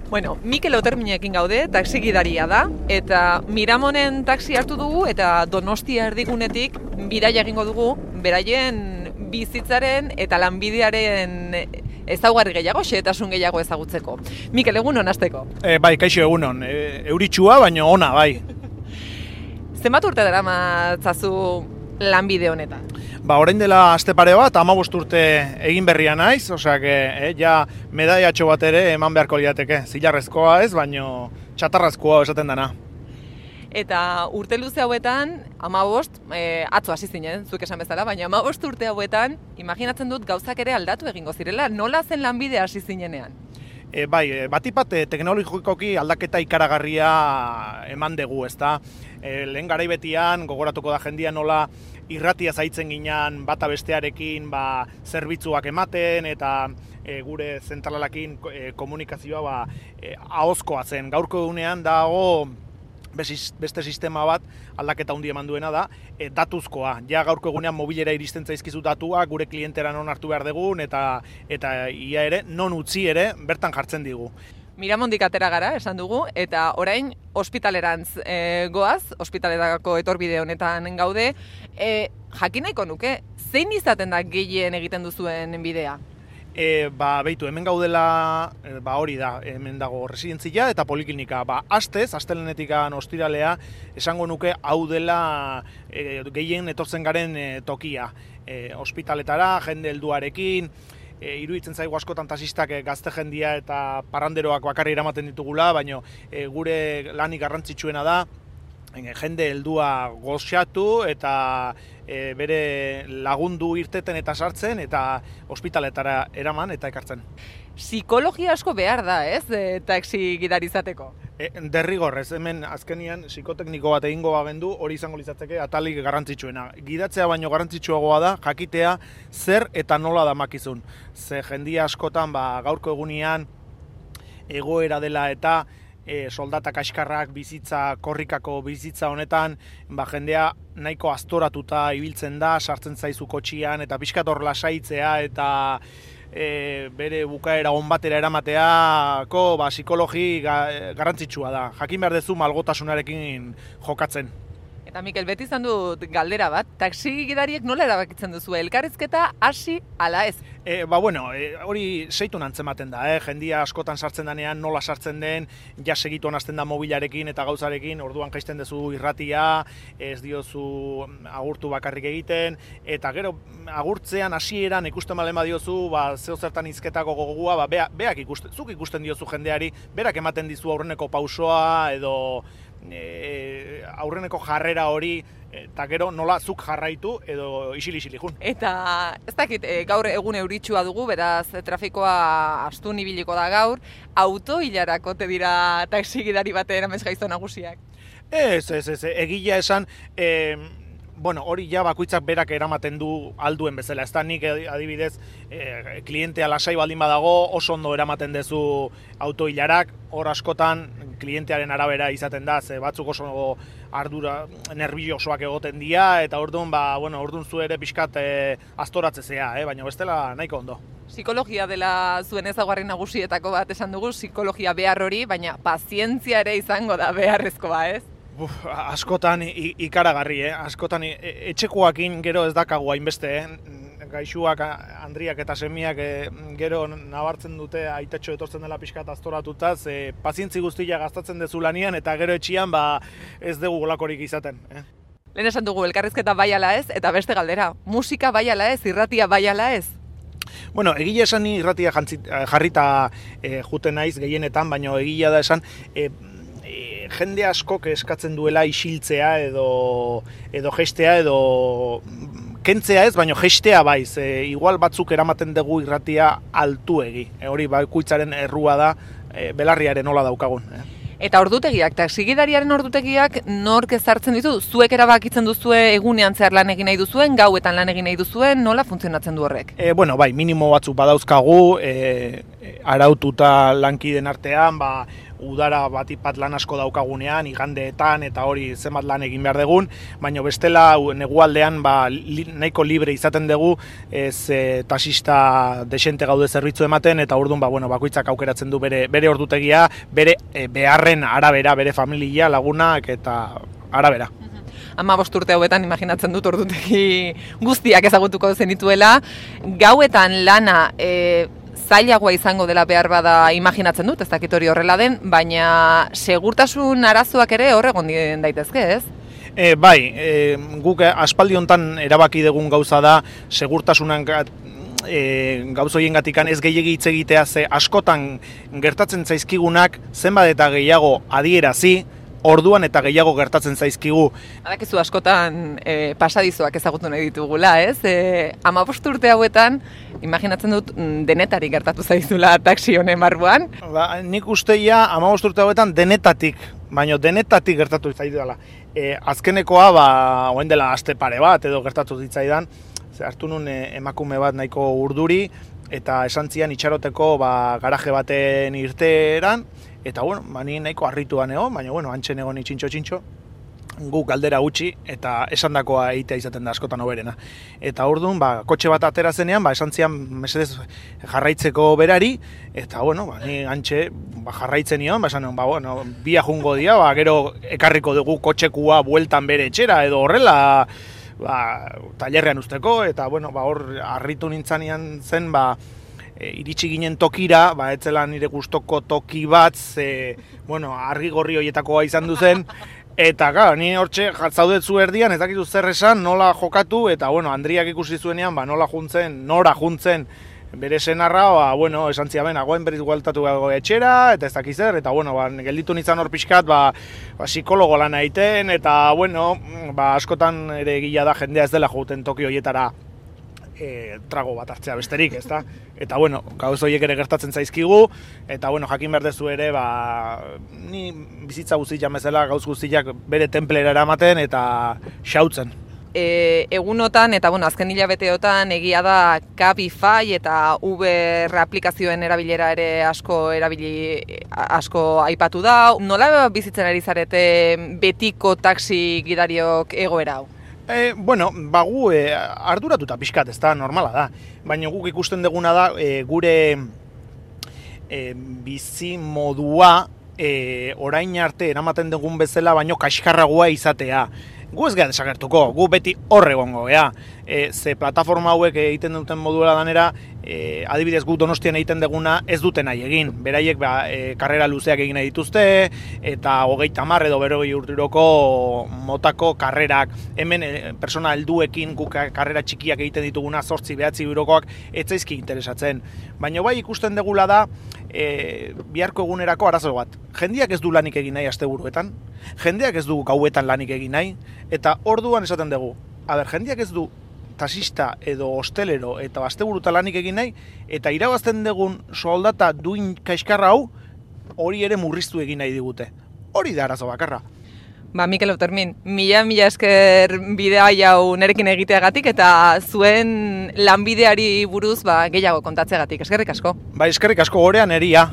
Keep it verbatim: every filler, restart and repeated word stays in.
Bueno, Mikel Oterminekin gaude, taxi gidaria da, eta Miramonen taxi hartu dugu eta Donostia erdigunetik bidaia egingo dugu, beraien bizitzaren eta lanbidearen ezaugarri gehiago, xehetasun gehiago ezagutzeko. Mikel, egunon hasteko. E, bai, kaixo egunon. E, euritsua, baina ona, bai. Zenbat urte daramatzazu lanbide honetan? Ba, orain dela aste pare bat, hamabost urte egin berria naiz, osea, eh, ja medaiatxo bat ere eman beharko liateke. Zilarrezkoa ez, baino txatarrazkoa esaten dana. Eta urte luze hauetan, hamabost, e, atzo hasi zinen, zuk esan bezala, baina hamabost urte hauetan, imaginatzen dut gauzak ere aldatu egingo zirela, nola zen lanbide hasi zinenean? E, bai, batipat e, teknologikoki aldaketa ikaragarria eman dugu, ezta? E, lehen garaibetian, gogoratuko da jendia nola irratia zaitzen ginen bata bestearekin ba, zerbitzuak ematen eta e, gure zentralarekin e, komunikazioa ba, e, ahozkoa zen. Gaurko egunean dago beste sistema bat aldaketa handi eman duena da, e, datuzkoa. Ja gaurko egunean mobilera iristen zaizkizu datuak, gure klientera non hartu behar dugun eta eta ia ere non utzi ere bertan jartzen digu. Miramondik atera gara, esan dugu, eta orain ospitalerantz e, goaz, ospitalerako etorbide honetan gaude. E, jakin nahiko nuke, zein izaten da gehien egiten duzuen bidea? E, ba, behitu, hemen gaudela, e, ba, hori da, hemen dago residentzia eta poliklinika. Ba, astez, astelenetikan ostiralea, esango nuke hau dela e, gehien etortzen garen e, tokia. E, ospitaletara, jende helduarekin, e, iruditzen zaigu askotan taxistak e, gazte jendia eta parranderoak bakarri eramaten ditugula, baina e, gure lanik garrantzitsuena da, jende heldua goxatu eta e, bere lagundu irteten eta sartzen eta ospitaletara eraman eta ekartzen. Psikologia asko behar da, ez, e, taxi gidari izateko? E, derrigorrez, hemen azkenian psikotekniko bat egingo bagendu hori izango litzateke atalik garrantzitsuena. Gidatzea baino garrantzitsuagoa da jakitea zer eta nola damakizun. Ze jendia askotan ba, gaurko egunean egoera dela eta E, soldata kaskarrak bizitza, korrikako bizitza honetan, ba, jendea nahiko aztoratuta ibiltzen da, sartzen zaizu kotxian, eta pixkat hor lasaitzea, eta e, bere bukaera on batera eramateako ba, psikologi ga, garrantzitsua da. Jakin behar duzu malgotasunarekin jokatzen. Eta Mikel, beti izan dut galdera bat, taxi gidariek nola erabakitzen duzu, elkarrizketa hasi ala ez? E, ba, bueno, e, hori seitun antzematen da, eh? Jendia askotan sartzen denean, nola sartzen den, ja segituan hasten da mobilarekin eta gauzarekin, orduan jaisten duzu irratia, ez diozu agurtu bakarrik egiten, eta gero agurtzean hasieran ikusten malema diozu, ba, zeo zertan izketako gogua, ba, beak, beak ikusten, zuk ikusten diozu jendeari, berak ematen dizu aurreneko pausoa, edo E, aurreneko jarrera hori eta gero nola zuk jarraitu edo isil-isili jun. Eta ez dakit, e, gaur egun euritsua dugu, beraz trafikoa astun ibiliko da gaur, auto hilarako te dira taxi gidari baten amez gaizto nagusiak? Ez, ez, ez, egila esan, e, bueno, hori ja bakoitzak berak eramaten du alduen bezala. Ez da nik adibidez e, klientea lasai baldin badago oso ondo eramaten duzu auto hilarak, hor askotan klientearen arabera izaten da, ze batzuk oso ardura, nerviosoak egoten dira, eta orduan, ba, bueno, orduan zu ere pixkat e, aztoratzezea, eh? Baina bestela nahiko ondo. Psikologia dela zuen ezaugarri nagusietako bat esan dugu, psikologia behar hori, baina pazientzia ere izango da beharrezkoa, ez? Buf, askotan ikaragarri, eh? Askotan etxekoakin gero ez dakagu hainbeste, eh? Gaixuak, Andriak eta semiak e, gero nabartzen dute aitatxo etortzen dela pixkat aztoratuta, ze pazientzi guztia gastatzen dezu lanian eta gero etxian ba, ez dugu golakorik izaten. Eh? Lehen esan dugu elkarrizketa bai ala ez, eta beste galdera, musika bai ala ez, irratia bai ala ez? Bueno, egia esan ni irratia jantzit, jarrita e, juten naiz gehienetan, baina egia da esan e, e, jende askok eskatzen duela isiltzea edo, edo gestea edo kentzea ez, baina gestea baiz, e, igual batzuk eramaten dugu irratia altuegi, e, hori bakoitzaren errua da, e, belarriaren nola daukagun. Eh. Eta ordutegiak, taxigidariaren ordutegiak nork ezartzen ditu? Zuek erabakitzen duzue egunean zehar lan egin nahi duzuen, gauetan lan egin nahi duzuen, nola funtzionatzen du horrek? E, bueno, bai, minimo batzuk badauzkagu, e, araututa lankiden artean, ba, udara batipat lan asko daukagunean, igandeetan eta hori zenbat lan egin behar dugun, baina bestela negualdean ba, li, nahiko libre izaten dugu, ez e, taxista desente gaude zerbitzu ematen, eta orduan ba, bueno, bakoitzak aukeratzen du bere, bere ordutegia, bere e, beharren arabera, bere familia, lagunak eta arabera. Ama bost urte hauetan imaginatzen dut ordutegi guztiak ezagutuko zenituela. Gauetan lana e, zailagoa izango dela behar bada imaginatzen dut, ez dakit hori horrela den, baina segurtasun arazoak ere hor egon daitezke, ez? E, bai, e, guk aspaldi hontan erabaki dugun gauza da segurtasunan e, gauzoien gatikan ez gehiegi hitz egitea, ze askotan gertatzen zaizkigunak zenbat eta gehiago adierazi, orduan eta gehiago gertatzen zaizkigu. Badakizu askotan e, pasadizoak ezagutu nahi ditugula, ez? E, hamabost urte hauetan, imaginatzen dut denetarik gertatu zaizula taxi honen barruan. Ba, nik usteia hamabost urte hauetan denetatik, baina denetatik gertatu zaidala. E, azkenekoa, ba, oen dela aste pare bat edo gertatu zitzaidan, ze hartu nun e, emakume bat nahiko urduri, eta esan zian itxaroteko ba, garaje baten irteeran, eta bueno, ba, ni nahiko harrituan egon, baina bueno, antxen egon itxintxo-txintxo, guk galdera gutxi eta esandakoa egitea izaten da askotan hoberena. Eta orduan, ba, kotxe bat atera zenean, ba, esan zian mesedez jarraitzeko berari, eta bueno, ba, ni antxe ba, jarraitzen nion, ba, esan nion, ba, bueno, bia jungo dia, ba, gero ekarriko dugu kotxekua bueltan bere etxera, edo horrela, ba, tailerrean usteko, eta bueno, ba, hor harritu nintzanean zen, ba, E, iritsi ginen tokira, ba, etzela nire gustoko toki bat, ze, bueno, argi gorri horietakoa izan duzen, eta, gara, ni hortxe zaudetzu erdian, ez dakitu zer esan, nola jokatu, eta, bueno, Andriak ikusi zuenean, ba, nola juntzen, nora juntzen bere senarra, ba, bueno, esan ziamen, agoen berriz gualtatu gago etxera, eta ez dakiz zer, eta, bueno, ba, gelditu nintzen hor pixkat, ba, ba, psikologo lan egiten, eta, bueno, ba, askotan ere gila da jendea ez dela jouten toki horietara, E, trago bat hartzea besterik, ezta? Eta bueno, gauz horiek ere gertatzen zaizkigu, eta bueno, jakin behar dezu ere, ba, ni bizitza guztiak bezala gauz guztiak bere templera eramaten eta xautzen. E, egunotan eta bueno, azken hilabeteotan egia da Cabify eta Uber aplikazioen erabilera ere asko erabili asko aipatu da. Nola bizitzen ari zarete betiko taxi gidariok egoera hau? E, bueno, ba gu e, arduratuta pixkat, ez da, normala da. Baina guk ikusten duguna da, e, gure e, bizi modua e, orain arte eramaten dugun bezala, baino kaskarragoa izatea. Gu ez gara desagertuko, gu beti horre gongo, ea. E, ze plataforma hauek egiten duten moduela danera, e, adibidez gu Donostian egiten duguna ez dute nahi egin. Beraiek ba, e, karrera luzeak egin nahi dituzte, eta hogeita hamar edo berrogei urteroko motako karrerak. Hemen e, persona helduekin guk karrera txikiak egiten dituguna, zortzi behatzi eurokoak, ez zaizki interesatzen. Baina bai ikusten dugula da, e, biharko egunerako arazo bat. Jendeak ez du lanik egin nahi asteburuetan, jendeak ez du gauetan lanik egin nahi, eta orduan esaten dugu, a ber, jendeak ez du taxista edo hostelero eta asteburuta lanik egin nahi, eta irabazten dugun soldata duin kaiskarra hau, hori ere murriztu egin nahi digute. Hori da arazo bakarra. Ba, Mikel Otermin, mila mila esker bidea hau nerekin egiteagatik eta zuen lanbideari buruz ba, gehiago kontatzeagatik. Eskerrik asko. Ba, eskerrik asko gorean eria.